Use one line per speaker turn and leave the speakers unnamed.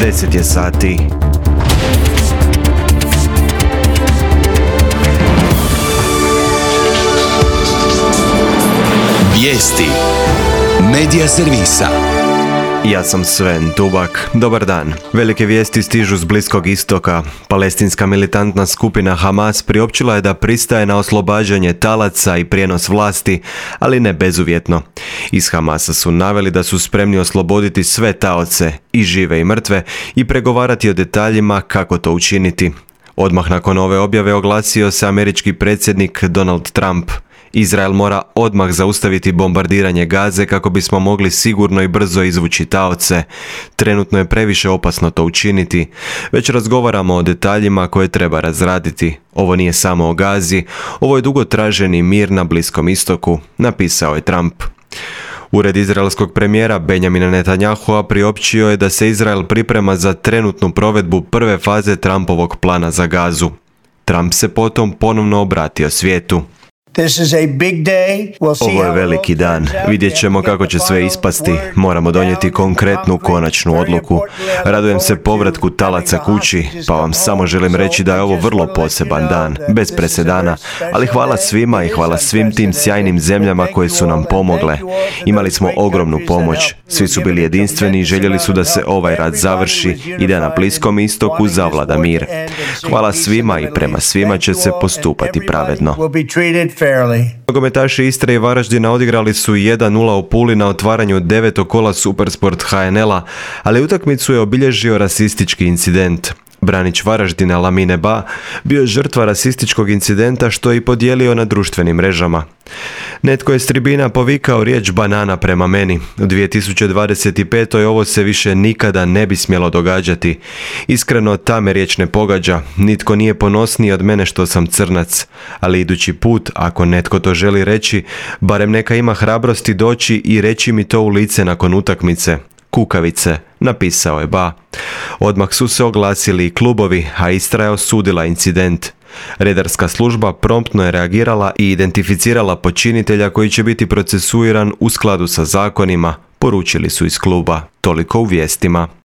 10 je sati.
Vijesti Medija servisa.
Ja sam Sven Tubak. Dobar dan. Velike vijesti stižu s Bliskog istoka. Palestinska militantna skupina Hamas priopćila je da pristaje na oslobađanje talaca i prijenos vlasti, ali ne bezuvjetno. Iz Hamasa su naveli da su spremni osloboditi sve taoce, i žive i mrtve, i pregovarati o detaljima kako to učiniti. Odmah nakon ove objave oglasio se američki predsjednik Donald Trump. Izrael mora odmah zaustaviti bombardiranje Gaze kako bismo mogli sigurno i brzo izvući taoce. Trenutno je previše opasno to učiniti. Već razgovaramo o detaljima koje treba razraditi. Ovo nije samo o Gazi, ovo je dugo traženi mir na Bliskom istoku, napisao je Trump. Ured izraelskog premijera Benjamina Netanyahua priopćio je da se Izrael priprema za trenutnu provedbu prve faze Trumpovog plana za Gazu. Trump se potom ponovno obratio svijetu. Ovo je veliki dan. Vidjet ćemo kako će sve ispasti. Moramo donijeti konkretnu, konačnu odluku. Radujem se povratku talaca kući, pa vam samo želim reći da je ovo vrlo poseban dan, bez presedana, ali hvala svima i hvala svim tim sjajnim zemljama koje su nam pomogle. Imali smo ogromnu pomoć. Svi su bili jedinstveni i željeli su da se ovaj rat završi i da na Bliskom istoku zavlada mir. Hvala svima i prema svima će se postupati pravedno. Nogometaši Istre i Varaždina odigrali su 1:0 u Puli na otvaranju 9. kola Supersport HNL-a, ali utakmicu je obilježio rasistički incident. Branić Varaždina Lamine Ba bio je žrtva rasističkog incidenta što je i podijelio na društvenim mrežama. Netko je s tribina povikao riječ banana prema meni. U 2025. ovo se više nikada ne bi smjelo događati. Iskreno, ta me riječ ne pogađa. Nitko nije ponosniji od mene što sam crnac. Ali idući put, ako netko to želi reći, barem neka ima hrabrosti doći i reći mi to u lice nakon utakmice. Kukavice, napisao je Ba. Odmah su se oglasili i klubovi, a Istra je osudila incident. Redarska služba promptno je reagirala i identificirala počinitelja koji će biti procesuiran u skladu sa zakonima, poručili su iz kluba. Toliko u vijestima.